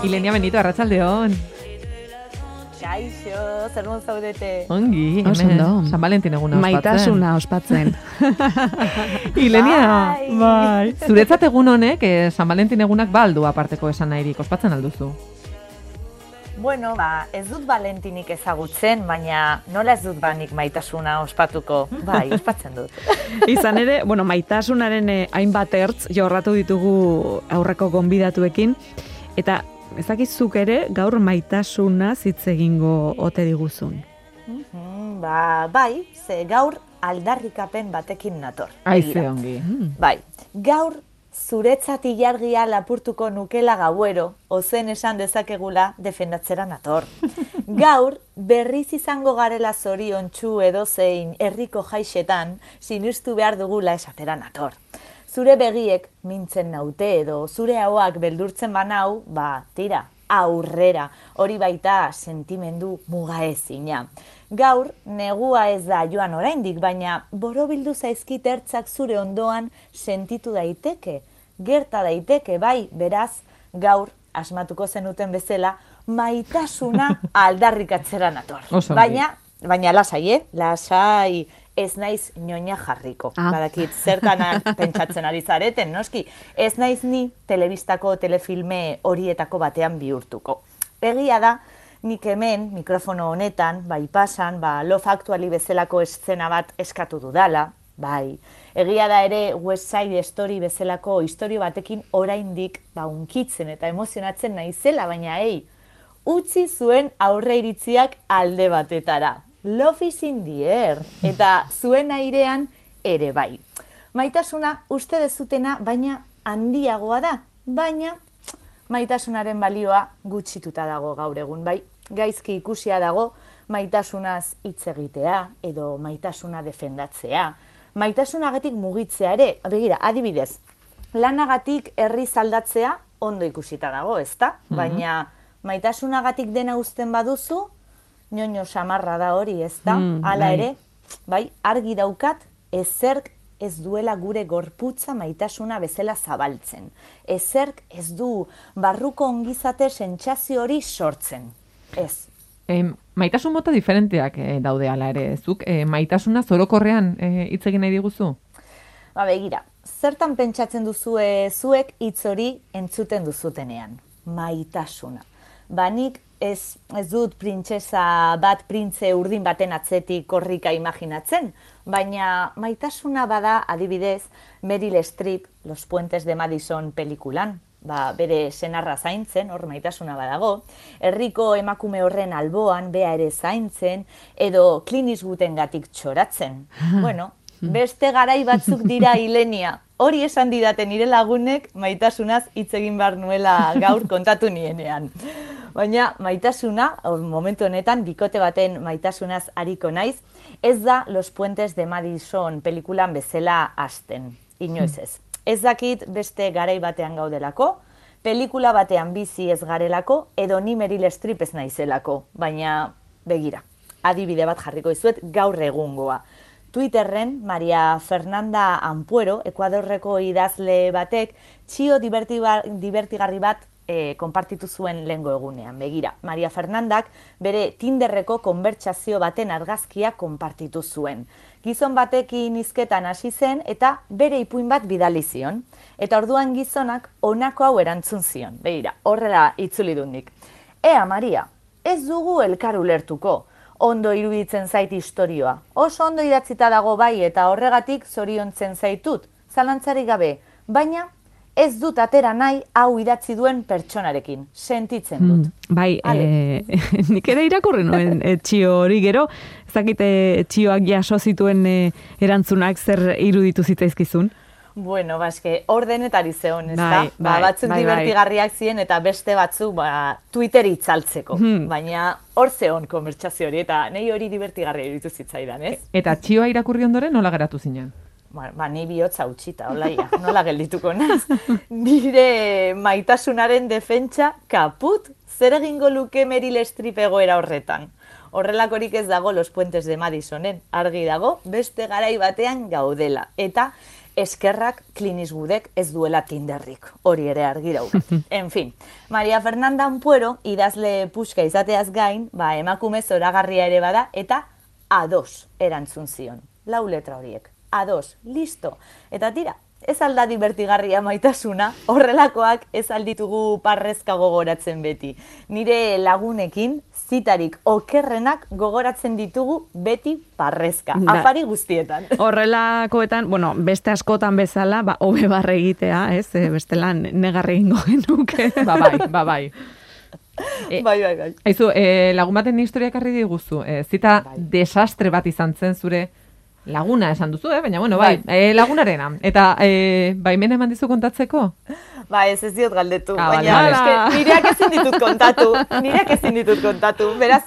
Ilenia Benito, arratsaldeon. Kaixo, zer mon zaudete? Ongi, hemen San Valentin eguna ospatzen. Maitasuna ospatzen. Ilenia, bai. Zuretzat egun honek, San Valentin egunak baldu aparteko esan nahirik, ospatzen alduzu? Bueno, ez dut Valentinik ezagutzen, baina nola ez dut banik maitasuna ospatuko? Bai, ospatzen dut. Izan ere, maitasunaren hainbat ertz jorratu ditugu aurreko gonbidatuekin, eta ezakizuk ere gaur maitasuna hitz egingo ote diguzun. Bai, ze gaur aldarrikapen batekin nator. Aize ongi. Bai, gaur zuretzat ilargia lapurtuko nukela gauero, ozen esan dezakegula defendatzera nator. Gaur, berriz izango garela zoriontsu edozein herriko jaixetan, sinistu behar dugula esatera nator. Zure begiek mintzen naute edo zure ahoak beldurtzen banau, tira, aurrera, hori baita sentimendu mugaezina. Gaur, negua ez da joan oraindik, baina borobildu zaizkit ertzak zure ondoan sentitu daiteke, gerta daiteke, bai, beraz, gaur, asmatuko zenuten bezala, maitasuna aldarrikatzera nator. Baina lasai, lasai, ez naiz ñoña jarriko. Badakit, zertan pentsatzen ari zareten, noski. Ez naiz ni telebistako telefilme horietako batean bihurtuko. Egia da, nik hemen, mikrofono honetan, bai pasan, Love Actually bezalako eszena bat eskatu dudala, bai. Egia da ere West Side Story bezalako istorio batekin oraindik unkitzen eta emozionatzen naizela, baina utzi zuen aurre iritziak alde batetara. Love is in the air, eta zuen airean ere bai. Maitasuna uste dezutena, baina handiagoa da, baina maitasunaren balioa gutxituta dago gaur egun, bai. Gaizki ikusia dago maitasunaz hitz egitea edo maitasuna defendatzea. Maitasunagatik mugitzea ere, begira, adibidez, lanagatik herriz aldatzea ondo ikusita dago, ezta? Baina maitasunagatik dena uzten baduzu, ñoño samarra da hori, ezta? Hala ere, bai, argi daukat, ezerk ez duela gure gorputza maitasuna bezala zabaltzen. Ezerk ez du barruko ongizate sentsazio hori sortzen. Ez. Maitasun mota diferenteak daude hala ere, zuk maitasuna zorokorrean hitz egin nahi diguzu? Begira, zertan pentsatzen duzue zuek hitz hori entzuten duzutenean? Maitasuna. Nik ez dut printzesa bat, printze urdin baten atzetik korrika imaginatzen, baina maitasuna bada adibidez Meryl Streep, Los Puentes de Madison pelikulan, bere senarra zaintzen, hor maitasuna badago, herriko emakume horren alboan bea ere zaintzen, edo Clint Eastwoodengatik txoratzen. Bueno, beste garai batzuk dira Ilenia. Hori esan didate nire lagunek maitasunaz hitz egin behar nuela gaur kontatu nienean. Baina maitasuna, momentu honetan, bikote baten maitasunaz ariko naiz, ez da Los Puentes de Madison pelikulan bezala hasten. Inoiz ez. Ez dakit beste garai batean gaudelako, pelikula batean bizi ez garelako, edo ni Meryl Streep ez naizelako. Baina, begira, adibide bat jarriko dizuet gaur egungoa. Twitterren, Maria Fernanda Ampuero, Ekuadorreko idazle batek, txio divertigarri bat konpartitu zuen lehengo egunean. Begira, Maria Fernandak bere Tinderreko konbertsazio baten argazkia konpartitu zuen. Gizon batekin hizketan hasi zen eta bere ipuin bat bidali zion. Eta orduan gizonak honako hau erantzun zion. Begira, horrela itzuli dut nik. Ea, Maria, ez dugu elkar ulertuko. Ondo iruditzen zait istorioa. Oso ondo idatzita dago bai eta horregatik zoriontzen zaitut. Zalantzarik gabe, baina ez dut atera nahi hau idatzi duen pertsonarekin. Sentitzen dut. Bai, nik ere irakurri nuen txio hori gero, ez dakite txioak jaso zituen erantzunak zer iruditu zitzaizkizun? Bueno, eske ordenetari zeon, ez da? Bai, bai, Batzuk bai, bai. divertigarriak ziren eta beste batzuk Twitter itzaltzeko. Baina hor zeon konbertsazio hori eta nei hori divertigarria iruditu zitzaidan, ez? Eta txioa irakurri ondoren nola geratu zinen? Ni bihotza utxita, olaia, nola geldituko naiz. Nire maitasunaren defentsa kaput, zer egingo luke Meryl Streep egoera horretan. Horrelakorik ez dago Los Puentes de Madisonen, argi dago beste garai batean gaudela. Eta eskerrak Clint Eastwoodek ez duela Tinderrik, hori ere argi daukat. En fin, Maria Fernanda Ampuero idazle puska izateaz gain, emakume zoragarria ere bada, eta A2 erantzun zion. 4 letra horiek. A2, listo. Eta tira, ez alda divertigarria maitasuna, horrelakoak ez alditugu parrezka gogoratzen beti. Nire lagunekin, zitarik okerrenak gogoratzen ditugu beti parrezka, afari guztietan. Horrelakoetan, beste askotan bezala, hobe barre egitea, ez? Bestelan negarri egingo genuke. Bai. Bai. Aizu, lagun baten historia ekarri diguzu, zita desastre bat izan zen zure laguna esan duzu, baina lagunarena. Eta baimena eman dizu kontatzeko? Ez diot galdetu, baina nireak ezin ditut kontatu, beraz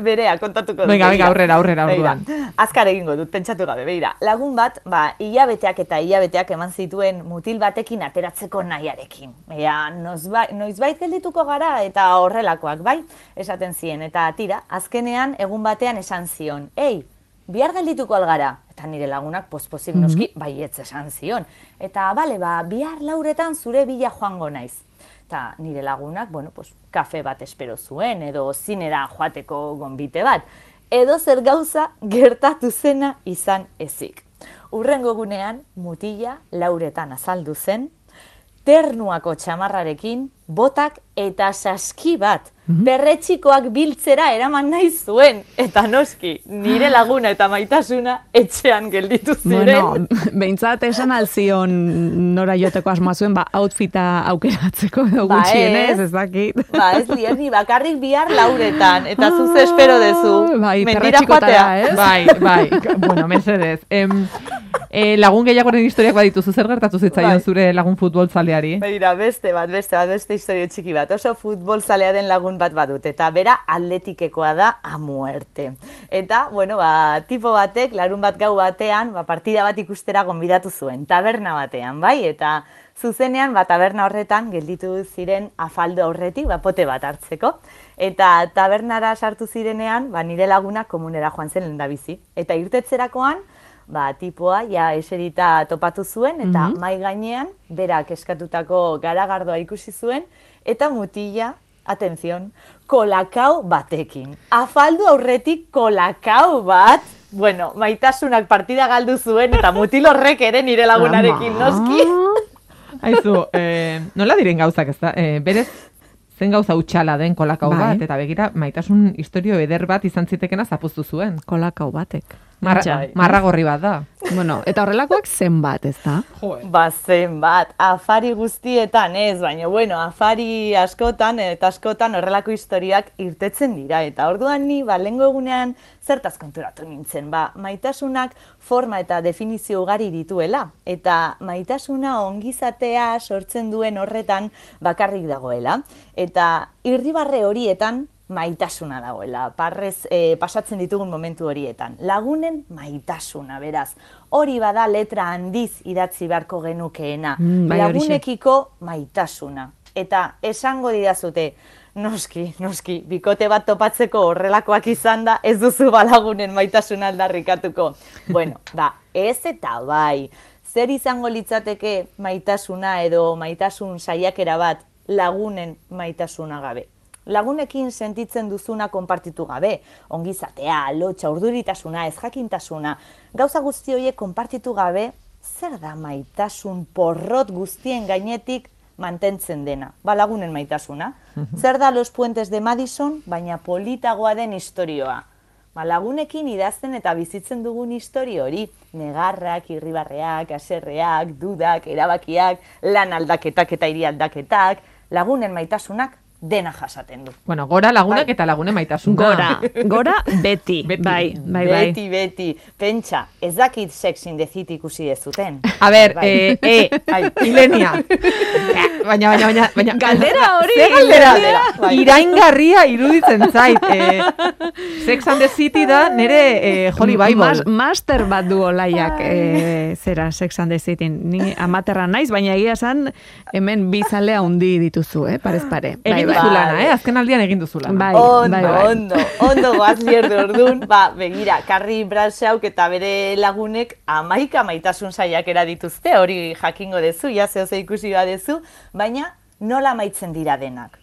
berea kontatuko dut. Venga, aurrera orduan. Azkar egingo dut, pentsatu gabe, beira. Lagun bat, hilabeteak eman zituen mutil batekin ateratzeko nahiarekin. Noizbait geldituko gara eta horrelakoak, bai, esaten ziren. Eta tira, azkenean egun batean esan zion, bihar geldituko algara. Eta nire lagunak pospozik noski baietz esan zion. Eta bihar 4 zure bila joango naiz. Eta nire lagunak, kafe bat espero zuen, edo zinera joateko gonbite bat. Edo zer gauza gertatu zena izan ezik. Hurrengo gunean, mutila 4 azaldu zen, ternuako txamarrarekin, botak eta saski bat. Perretxikoak biltzera eraman nahi zuen. Eta noski, nire laguna eta maitasuna etxean gelditu ziren. Behintzat esan alzion nora joteko asmoa zuen, outfita aukeratzeko edo gutxienez, ez dakit. Ez ni bakarrik bihar 4 eta zuz espero dezu. Mentira joatea, ez? Bai. Bueno, mesedez. Lagun gehiagoren historiak badituzu, zer gertatu zitzaion zure lagun futbolzaleari? Begira, beste historio txiki bat. Oso futbolzalea den lagun bat badut, eta bera atletikekoa da a muerte. Eta, tipo batek, larun bat gau batean, partida bat ikustera gonbidatu zuen, taberna batean, bai? Eta zuzenean, taberna horretan, gelditu ziren afaldo horretik, pote bat hartzeko. Eta tabernara sartu zirenean, nire laguna komunera joan zen lehendabizi. Eta irtetzerakoan, tipoa eserita topatu zuen, eta mai gainean, berak eskatutako garagardoa ikusi zuen, eta mutila, atención, kolakao batekin. Afaldu aurretik kolakao bat, maitasunak partida galdu zuen, eta mutil horrek ere nire lagunarekin noski. Aizu, nola diren gauzak ez da? Berez, zen gauza utxala den kolakao bat, eta begira, maitasun historio eder bat izan zitekena zapuztu zuen. Kolakao batek. Marragorri bat da. Eta horrelakoak zenbat, ez da? Zenbat, afari guztietan ez, baina afari askotan eta askotan horrelako historiak irtetzen dira. Eta orduan ni, lehengo egunean zertaz konturatu nintzen, maitasunak forma eta definizio ugari dituela. Eta maitasuna ongizatea sortzen duen horretan bakarrik dagoela. Eta irribarre horietan maitasuna dagoela, parrez pasatzen ditugun momentu horietan. Lagunen maitasuna, beraz. Hori bada letra handiz idatzi beharko genukeena. Lagunekiko maitasuna. Eta esango didazute, noski, bikote bat topatzeko horrelakoak izan da, ez duzu lagunen maitasuna aldarrikatuko. Ez eta bai. Zer izango litzateke maitasuna edo maitasun saiakera bat lagunen maitasuna gabe? Lagunekin sentitzen duzuna konpartitu gabe, ongizatea, lotxa, urduritasuna, ezjakintasuna, gauza guzti horiek konpartitu gabe, zer da maitasun porrot guztien gainetik mantentzen dena? Lagunen maitasuna. Zer da Los Puentes de Madison, baina politagoa den istorioa? Lagunekin idazten eta bizitzen dugun historio hori, negarrak, irribarreak, haserreak, dudak, erabakiak, lan aldaketak eta hiri aldaketak, lagunen maitasunak dena jasaten du. Bueno, gora lagunak eta lagune maitasuna. Gora beti. Bai. Beti. Pentsa, ez dakit Sex in the City ikusi ez zuten. A ber, Ilenia. Baina. Galdera hori. Ze galdera? Iraingarria iruditzen zait. Sex and the City da nire Holy Bible. Master bat du olaiak zera Sex and the City. Ni amaterra naiz, baina egia esan hemen bizalea hundi dituzu, parez pare. Egin duzulana, azken aldian egin duzulana. Ondo goaz lierdu orduan, begira, Carrie Bradshaw eta bere lagunek 11 maitasun saiakera dituzte, hori jakingo dezu, zehose ikusi badezu, baina nola maitzen dira denak.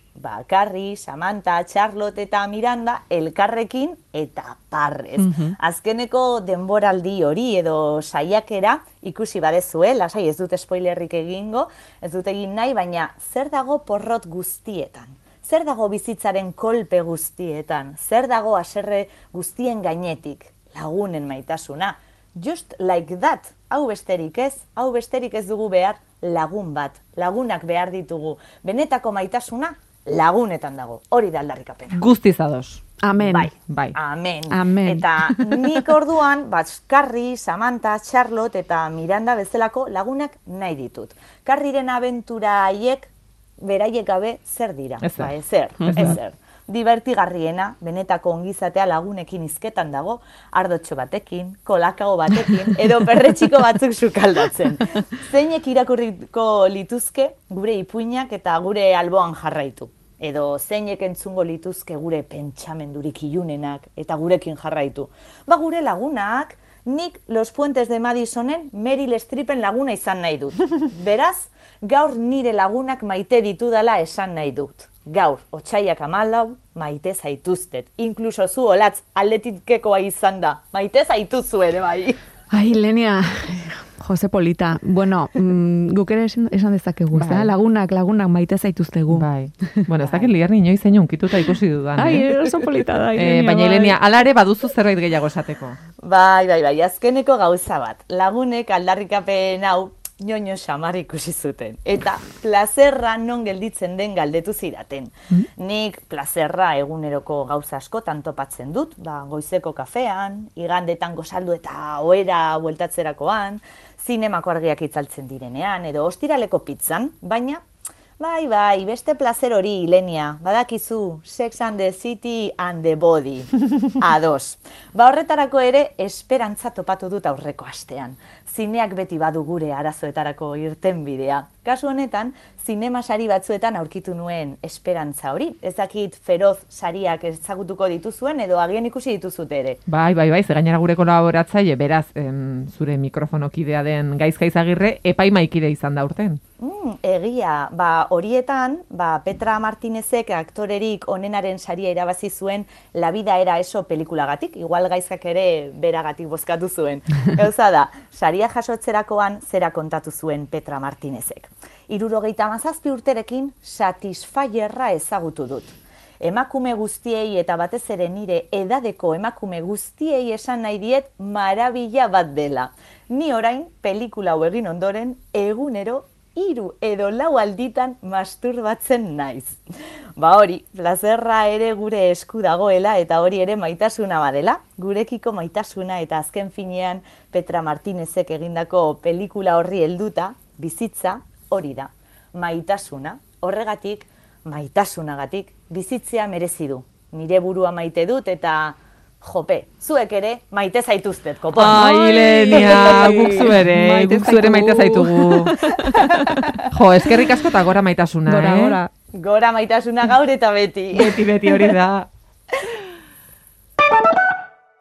Carrie, Samantha, Charlotte eta Miranda elkarrekin eta parrez. Azkeneko denboraldi hori edo saiakera ikusi badezue, lasai ez dut spoilerrik egingo, ez dut egin nahi, baina zer dago porrot guztietan? Zer dago bizitzaren kolpe guztietan? Zer dago haserre guztien gainetik? Lagunen maitasuna. Just like that. Hau besterik ez dugu behar lagun bat. Lagunak behar ditugu. Benetako maitasuna lagunetan dago. Hori da aldarrikapena. Guztiz ados. Amen. Bai. Amen. Eta nik orduan, Carrie, Samantha, Charlotte eta Miranda bezalako lagunak nahi ditut. Carrieren abentura haiek beraiek gabe zer dira? Ezer. Divertigarriena, benetako ongizatea lagunekin hizketan dago, ardotxo batekin, kolakao batekin, edo perretxiko batzuk sukaldatzen. Zeinek irakurriko lituzke gure ipuinak eta gure alboan jarraitu. Edo zeinek entzungo lituzke gure pentsamendurik ilunenak eta gurekin jarraitu. Gure lagunak, nik Los Puentes de Madisonen Meryl Streepen laguna izan nahi dut. Beraz, gaur nire lagunak maite ditudala esan nahi dut. Gaur, otsaiak 14, maite zaituztet. Inkluso zu olatz aldetikekoa izan da. Maite zaituzu ere bai. Ai, Lenia, Jose Polita. Bueno, guk ere esan dezakegu, lagunak maite zaituztegu. Bai. Bueno, ez dakit liar niñoi zein unkituta ikusi dudan. Ai, oso polita da. Baina, Ilenia, alare baduzu zerbait gehiago esateko. Bai, azkeneko gauza bat. Lagunek aldarrikapen hau ñoño xamar ikusi zuten. Eta plazerra non gelditzen den galdetu zidaten. Nik plazerra eguneroko gauza askotan topatzen dut, goizeko kafean, igandetan gozaldu eta ohera bueltatzerakoan, zinemako argiak itzaltzen direnean, edo ostiraleko pizzan, baina bai, beste plazer hori, Ilenia, badakizu, Sex and the City and the Body. Ados. Horretarako ere, esperantza topatu dut aurreko astean. Zineak beti badu gure arazoetarako irtenbidea. Kasu honetan, zinema sari batzuetan aurkitu nuen esperantza hori. Ez dakit feroz sariak ezagutuko dituzuen edo agian ikusi dituzute ere. Bai, ze gainera gure kolaboratzaile, beraz, zure mikrofonokidea den Gaizka Izagirre, epaimaikide izan da urten. Egia, horietan, Petra Martinezek aktorerik onenaren saria irabazi zuen La vida era eso pelikulagatik, igual Gaizkak ere beragatik bozkatu zuen. Gauza da, saria jasotzerakoan zera kontatu zuen Petra Martinezek. 77 urterekin Satisfyerra ezagutu dut. Emakume guztiei eta batez ere nire edadeko emakume guztiei esan nahi diet marabila bat dela. Ni orain pelikula hau egin ondoren egunero 3 edo 4 alditan masturbatzen naiz. Hori, plazerra ere gure esku dagoela eta hori ere maitasuna badela. Gurekiko maitasuna eta azken finean Petra Martinezek egindako pelikula horri helduta, bizitza hori da. Maitasuna, horregatik, maitasunagatik, bizitzea merezi du. Nire burua maite dut eta jope, zuek ere maite zaituztet, kopon. Ai, Lenia, guk zuere maite zaitugu. Jo, eskerrik asko eta gora maitasuna, Gora maitasuna gaur eta beti. Beti hori da.